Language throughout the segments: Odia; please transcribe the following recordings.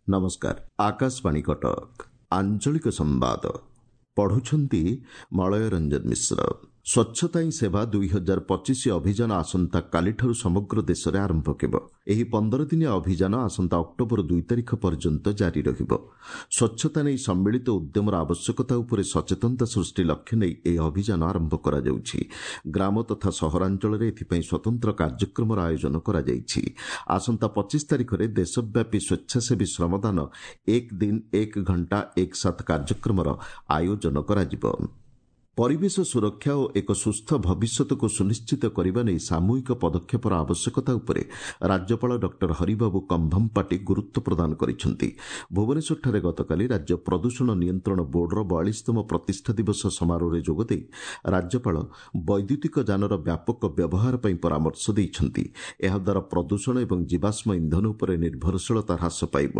ନମସ୍କାର, ଆକାଶବାଣୀ କଟକ, ଆଞ୍ଚଳିକ ସମ୍ବାଦ ପଢୁଛନ୍ତି ମଳୟ ରଞ୍ଜନ ମିଶ୍ର। ସ୍ୱଚ୍ଛତା ହିଁ ସେବା 2025 ଅଭିଯାନ ଆସନ୍ତାକାଲିଠାରୁ ସମଗ୍ର ଦେଶରେ ଆରମ୍ଭ ହେବ। ଏହି 15 ଦିନିଆ ଅଭିଯାନ ଆସନ୍ତା ଅକ୍ଟୋବର 2 ତାରିଖ ପର୍ଯ୍ୟନ୍ତ ଜାରି ରହିବ। ସ୍ୱଚ୍ଛତା ନେଇ ସମ୍ମିଳିତ ଉଦ୍ୟମର ଆବଶ୍ୟକତା ଉପରେ ସଚେତନତା ସୃଷ୍ଟି ଲକ୍ଷ୍ୟ ନେଇ ଏହି ଅଭିଯାନ ଆରମ୍ଭ କରାଯାଉଛି। ଗ୍ରାମ ତଥା ସହରାଞ୍ଚଳରେ ଏଥିପାଇଁ ସ୍ୱତନ୍ତ୍ର କାର୍ଯ୍ୟକ୍ରମର ଆୟୋଜନ କରାଯାଇଛି। ଆସନ୍ତା 25 ତାରିଖରେ ଦେଶବ୍ୟାପୀ ସ୍ୱେଚ୍ଛାସେବୀ ଶ୍ରମଦାନ ଏକ ଦିନ ଏକ ଘଣ୍ଟା ଏକ ସାଥ କାର୍ଯ୍ୟକ୍ରମର ଆୟୋଜନ କରାଯିବ। ପରିବେଶ ସୁରକ୍ଷା ଓ ଏକ ସୁସ୍ଥ ଭବିଷ୍ୟତକୁ ସୁନିଶ୍ଚିତ କରିବା ନେଇ ସାମୂହିକ ପଦକ୍ଷେପର ଆବଶ୍ୟକତା ଉପରେ ରାଜ୍ୟପାଳ ଡକ୍ଟର ହରିବାବୁ କମ୍ଭମପାଟି ଗୁରୁତ୍ୱ ପ୍ରଦାନ କରିଛନ୍ତି। ଭୁବନେଶ୍ୱରଠାରେ ଗତକାଲି ରାଜ୍ୟ ପ୍ରଦୂଷଣ ନିୟନ୍ତ୍ରଣ ବୋର୍ଡର 42ତମ ପ୍ରତିଷ୍ଠା ଦିବସ ସମାରୋହରେ ଯୋଗଦେଇ ରାଜ୍ୟପାଳ ବୈଦ୍ୟୁତିକ ଯାନର ବ୍ୟାପକ ବ୍ୟବହାର ପାଇଁ ପରାମର୍ଶ ଦେଇଛନ୍ତି। ଏହାଦ୍ୱାରା ପ୍ରଦୂଷଣ ଏବଂ ଜୀବାଶ୍ମ ଇନ୍ଧନ ଉପରେ ନିର୍ଭରଶୀଳତା ହ୍ରାସ ପାଇବ।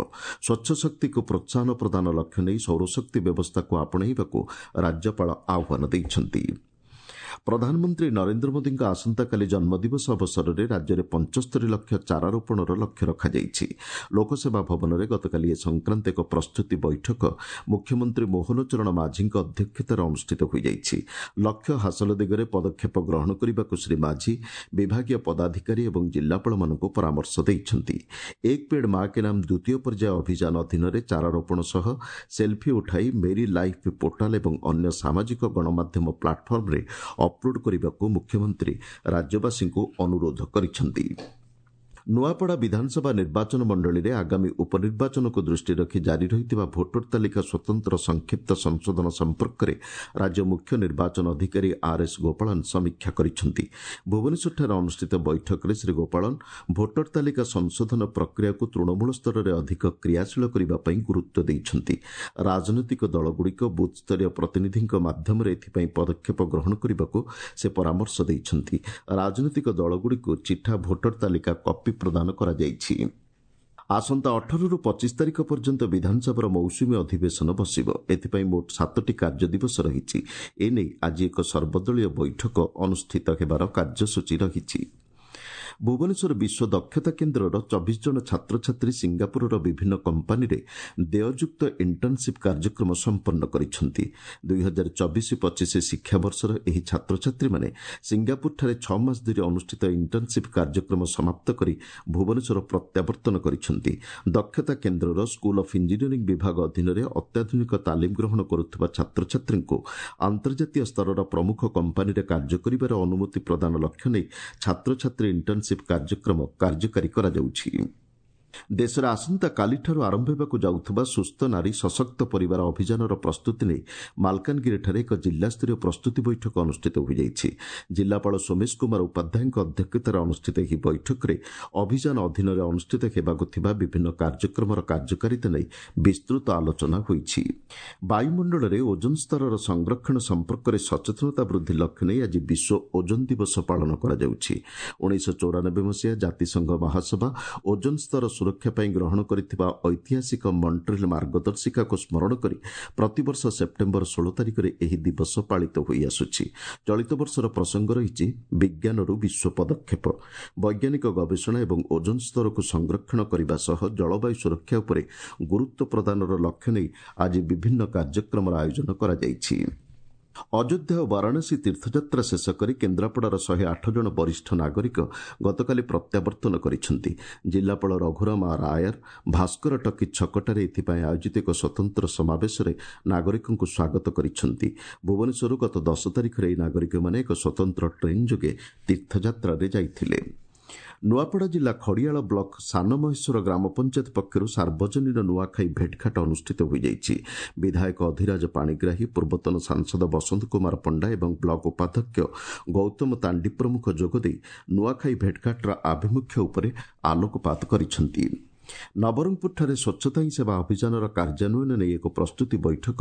ସ୍ୱଚ୍ଛ ଶକ୍ତିକୁ ପ୍ରୋତ୍ସାହନ ପ୍ରଦାନ ଲକ୍ଷ୍ୟ ନେଇ ସୌରଶକ୍ତି ବ୍ୟବସ୍ଥାକୁ ଆପଣେଇବାକୁ ରାଜ୍ୟପାଳ ଆହ୍ୱାନ ଦେଇଛନ୍ତି। ପ୍ରଧାନମନ୍ତ୍ରୀ ନରେନ୍ଦ୍ର ମୋଦିଙ୍କ ଆସନ୍ତାକାଲି ଜନ୍ମଦିବସ ଅବସରରେ ରାଜ୍ୟରେ 75 ଲକ୍ଷ ଚାରା ରୋପଣର ଲକ୍ଷ୍ୟ ରଖାଯାଇଛି। ଲୋକସେବା ଭବନରେ ଗତକାଲି ଏ ସଂକ୍ରାନ୍ତ ଏକ ପ୍ରସ୍ତୁତି ବୈଠକ ମୁଖ୍ୟମନ୍ତ୍ରୀ ମୋହନ ଚରଣ ମାଝୀଙ୍କ ଅଧ୍ୟକ୍ଷତାରେ ଅନୁଷ୍ଠିତ ହୋଇଯାଇଛି। ଲକ୍ଷ୍ୟ ହାସଲ ଦିଗରେ ପଦକ୍ଷେପ ଗ୍ରହଣ କରିବାକୁ ଶ୍ରୀ ମାଝୀ ବିଭାଗୀୟ ପଦାଧିକାରୀ ଏବଂ ଜିଲ୍ଲାପାଳମାନଙ୍କୁ ପରାମର୍ଶ ଦେଇଛନ୍ତି। ଏକ ପେଡ୍ ମା କେ ନାମ ଦ୍ୱିତୀୟ ପର୍ଯ୍ୟାୟ ଅଭିଯାନ ଅଧୀନରେ ଚାରା ରୋପଣ ସହ ସେଲ୍ଫି ଉଠାଇ ମେରି ଲାଇଫ୍ ପୋର୍ଟାଲ ଏବଂ ଅନ୍ୟ ସାମାଜିକ ଗଣମାଧ୍ୟମ ପ୍ଲାଟଫର୍ମରେ ଅପଲୋଡ୍ କରିବାକୁ ମୁଖ୍ୟମନ୍ତ୍ରୀ ରାଜ୍ୟବାସୀଙ୍କୁ ଅନୁରୋଧ କରିଛନ୍ତି। ନୂଆପଡ଼ା ବିଧାନସଭା ନିର୍ବାଚନ ମଣ୍ଡଳୀରେ ଆଗାମୀ ଉପନିର୍ବାଚନକୁ ଦୃଷ୍ଟିରେ ରଖି ଜାରି ରହିଥିବା ଭୋଟର ତାଲିକା ସ୍ୱତନ୍ତ୍ର ସଂକ୍ଷିପ୍ତ ସଂଶୋଧନ ସମ୍ପର୍କରେ ରାଜ୍ୟ ମୁଖ୍ୟ ନିର୍ବାଚନ ଅଧିକାରୀ ଆର୍ ଏସ୍ ଗୋପାଳନ ସମୀକ୍ଷା କରିଛନ୍ତି। ଭୁବନେଶ୍ୱରଠାରେ ଅନୁଷ୍ଠିତ ବୈଠକରେ ଶ୍ରୀ ଗୋପାଳନ ଭୋଟର ତାଲିକା ସଂଶୋଧନ ପ୍ରକ୍ରିୟାକୁ ତୃଣମୂଳ ସ୍ତରରେ ଅଧିକ କ୍ରିୟାଶୀଳ କରିବା ପାଇଁ ଗୁରୁତ୍ୱ ଦେଇଛନ୍ତି। ରାଜନୈତିକ ଦଳଗୁଡ଼ିକ ବୁଥ୍ସ୍ତରୀୟ ପ୍ରତିନିଧିଙ୍କ ମାଧ୍ୟମରେ ଏଥିପାଇଁ ପଦକ୍ଷେପ ଗ୍ରହଣ କରିବାକୁ ସେ ପରାମର୍ଶ ଦେଇଛନ୍ତି। ରାଜନୈତିକ ଦଳଗୁଡ଼ିକୁ ଚିଠା ଭୋଟର ତାଲିକା କପି ପ୍ରଦାନ କରାଯାଇଛି। ଆସନ୍ତା 18ରୁ 25 ତାରିଖ ପର୍ଯ୍ୟନ୍ତ ବିଧାନସଭାର ମୌସୁମୀ ଅଧିବେଶନ ବସିବ। ଏଥିପାଇଁ ମୋଟ 7ଟି କାର୍ଯ୍ୟ ଦିବସ ରହିଛି। ଏନେଇ ଆଜି ଏକ ସର୍ବଦଳୀୟ ବୈଠକ ଅନୁଷ୍ଠିତ ହେବାର କାର୍ଯ୍ୟସୂଚୀ ରହିଛି। ଭୁବନେଶ୍ୱର ବିଶ୍ୱ ଦକ୍ଷତା କେନ୍ଦ୍ରର 24 ଜଣ ଛାତ୍ରଛାତ୍ରୀ ସିଙ୍ଗାପୁରର ବିଭିନ୍ନ କମ୍ପାନୀରେ ଦେୟଯୁକ୍ତ ଇଣ୍ଟର୍ଣ୍ଣସିପ୍ କାର୍ଯ୍ୟକ୍ରମ ସମ୍ପନ୍ନ କରିଛନ୍ତି। 2024-25 ଶିକ୍ଷାବର୍ଷର ଏହି ଛାତ୍ରଛାତ୍ରୀମାନେ ସିଙ୍ଗାପୁରଠାରେ 6 ମାସ ଧରି ଅନୁଷ୍ଠିତ ଇଣ୍ଟର୍ଣ୍ଣସିପ୍ କାର୍ଯ୍ୟକ୍ରମ ସମାପ୍ତ କରି ଭୁବନେଶ୍ୱର ପ୍ରତ୍ୟାବର୍ତ୍ତନ କରିଛନ୍ତି। ଦକ୍ଷତା କେନ୍ଦ୍ରର ସ୍କୁଲ ଅଫ୍ ଇଞ୍ଜିନିୟରିଂ ବିଭାଗ ଅଧୀନରେ ଅତ୍ୟାଧୁନିକ ତାଲିମ ଗ୍ରହଣ କରୁଥିବା ଛାତ୍ରଛାତ୍ରୀଙ୍କୁ ଆନ୍ତର୍ଜାତୀୟ ସ୍ତରର ପ୍ରମୁଖ କମ୍ପାନୀରେ କାର୍ଯ୍ୟ କରିବାର ଅନୁମତି ପ୍ରଦାନ ଲକ୍ଷ୍ୟ ନେଇ ଛାତ୍ରଛାତ୍ରୀ ଇଣ୍ଟର୍ଣ୍ଣସିପ୍ କାର୍ଯ୍ୟକ୍ରମ କାର୍ଯ୍ୟକାରୀ କରାଯାଉଛି। ଦେଶରେ ଆସନ୍ତାକାଲିଠାରୁ ଆରମ୍ଭ ହେବାକୁ ଯାଉଥିବା ସୁସ୍ଥ ନାରୀ ସଶକ୍ତ ପରିବାର ଅଭିଯାନର ପ୍ରସ୍ତୁତି ନେଇ ମାଲକାନଗିରିଠାରେ ଏକ ଜିଲ୍ଲାସ୍ତରୀୟ ପ୍ରସ୍ତୁତି ବୈଠକ ଅନୁଷ୍ଠିତ ହୋଇଯାଇଛି। ଜିଲ୍ଲାପାଳ ସୋମେଶ କୁମାର ଉପାଧ୍ୟାୟଙ୍କ ଅଧ୍ୟକ୍ଷତାରେ ଅନୁଷ୍ଠିତ ଏହି ବୈଠକରେ ଅଭିଯାନ ଅଧୀନରେ ଅନୁଷ୍ଠିତ ହେବାକୁ ଥିବା ବିଭିନ୍ନ କାର୍ଯ୍ୟକ୍ରମର କାର୍ଯ୍ୟକାରିତା ନେଇ ବିସ୍ତୃତ ଆଲୋଚନା ହୋଇଛି। ବାୟୁମଣ୍ଡଳରେ ଓଜୋନ ସ୍ତରର ସଂରକ୍ଷଣ ସମ୍ପର୍କରେ ସଚେତନତା ବୃଦ୍ଧି ଲକ୍ଷ୍ୟ ନେଇ ଆଜି ବିଶ୍ୱ ଓଜୋନ ଦିବସ ପାଳନ କରାଯାଉଛି। 1994 ମସିହା ଜାତିସଂଘ ମହାସଭା ଓଜୋନ ସ୍ତର ସୁରକ୍ଷା ପାଇଁ ଗ୍ରହଣ କରିଥିବା ଐତିହାସିକ ମଣ୍ଟ୍ରିଲ୍ ମାର୍ଗଦର୍ଶିକାକୁ ସ୍ମରଣ କରି ପ୍ରତିବର୍ଷ ସେପ୍ଟେମ୍ବର 16 ତାରିଖରେ ଏହି ଦିବସ ପାଳିତ ହୋଇଆସୁଛି। ଚଳିତ ବର୍ଷର ପ୍ରସଙ୍ଗ ରହିଛି ବିଜ୍ଞାନରୁ ବିଶ୍ୱ ପଦକ୍ଷେପ। ବୈଜ୍ଞାନିକ ଗବେଷଣା ଏବଂ ଓଜୋନ ସ୍ତରକୁ ସଂରକ୍ଷଣ କରିବା ସହ ଜଳବାୟୁ ସୁରକ୍ଷା ଉପରେ ଗୁରୁତ୍ୱ ପ୍ରଦାନର ଲକ୍ଷ୍ୟ ନେଇ ଆଜି ବିଭିନ୍ନ କାର୍ଯ୍ୟକ୍ରମର ଆୟୋଜନ କରାଯାଇଛି। ଅଯୋଧ୍ୟା ଓ ବାରାଣସୀ ତୀର୍ଥଯାତ୍ରା ଶେଷ କରି କେନ୍ଦ୍ରାପଡ଼ାର 108 ଜଣ ବରିଷ୍ଠ ନାଗରିକ ଗତକାଲି ପ୍ରତ୍ୟାବର୍ତ୍ତନ କରିଛନ୍ତି। ଜିଲ୍ଲାପାଳ ରଘୁରାମ ଆର୍ ଆୟର ଭାସ୍କର ଟକି ଛକଠାରେ ଏଥିପାଇଁ ଆୟୋଜିତ ଏକ ସ୍ୱତନ୍ତ୍ର ସମାବେଶରେ ନାଗରିକଙ୍କୁ ସ୍ୱାଗତ କରିଛନ୍ତି। ଭୁବନେଶ୍ୱରରୁ ଗତ 10 ତାରିଖରେ ଏହି ନାଗରିକମାନେ ଏକ ସ୍ୱତନ୍ତ୍ର ଟ୍ରେନ୍ ଯୋଗେ ତୀର୍ଥଯାତ୍ରାରେ ଯାଇଥିଲେ। ନୂଆପଡ଼ା ଜିଲ୍ଲା ଖଡ଼ିଆଳ ବ୍ଲକ ସାନମହେଶ୍ୱର ଗ୍ରାମ ପଞ୍ଚାୟତ ପକ୍ଷରୁ ସାର୍ବଜନୀନ ନୂଆଖାଇ ଭେଟଘାଟ ଅନୁଷ୍ଠିତ ହୋଇଯାଇଛି। ବିଧାୟକ ଅଧିରାଜ ପାଣିଗ୍ରାହୀ, ପୂର୍ବତନ ସାଂସଦ ବସନ୍ତ କୁମାର ପଣ୍ଡା ଏବଂ ବ୍ଲକ ଉପାଧ୍ୟକ୍ଷ ଗୌତମ ତାଣ୍ଡି ପ୍ରମୁଖ ଯୋଗଦେଇ ନୂଆଖାଇ ଭେଟଘାଟର ଆଭିମୁଖ୍ୟ ଉପରେ ଆଲୋକପାତ କରିଛନ୍ତି। ନବରଙ୍ଗପୁରଠାରେ ସ୍ୱଚ୍ଛତା ହିଁ ସେବା ଅଭିଯାନର କାର୍ଯ୍ୟାନ୍ୱୟନ ନେଇ ଏକ ପ୍ରସ୍ତୁତି ବୈଠକ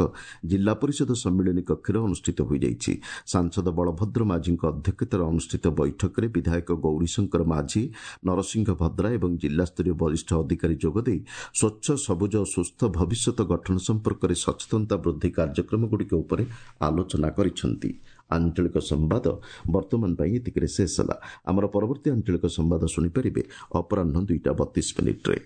ଜିଲ୍ଲା ପରିଷଦ ସମ୍ମିଳନୀ କକ୍ଷରେ ଅନୁଷ୍ଠିତ ହୋଇଯାଇଛି। ସାଂସଦ ବଳଭଦ୍ର ମାଝୀଙ୍କ ଅଧ୍ୟକ୍ଷତାରେ ଅନୁଷ୍ଠିତ ବୈଠକରେ ବିଧାୟକ ଗୌରୀଶଙ୍କର ମାଝୀ, ନରସିଂହ ଭଦ୍ରା ଏବଂ ଜିଲ୍ଲାସ୍ତରୀୟ ବରିଷ୍ଠ ଅଧିକାରୀ ଯୋଗଦେଇ ସ୍ୱଚ୍ଛ, ସବୁଜ ଓ ସୁସ୍ଥ ଭବିଷ୍ୟତ ଗଠନ ସମ୍ପର୍କରେ ସଚେତନତା ବୃଦ୍ଧି କାର୍ଯ୍ୟକ୍ରମଗୁଡ଼ିକ ଉପରେ ଆଲୋଚନା କରିଛନ୍ତି। ଆଞ୍ଚଳିକ ସମ୍ବାଦ ବର୍ତ୍ତମାନ ପାଇଁ ଏତିକିରେ ଶେଷ ହେଲା। ଆମର ପରବର୍ତ୍ତୀ ଆଞ୍ଚଳିକ ସମ୍ବାଦ ଶୁଣିପାରିବେ ଅପରାହ୍ନ 2ଟା 32 ମିନିଟ୍ରେ।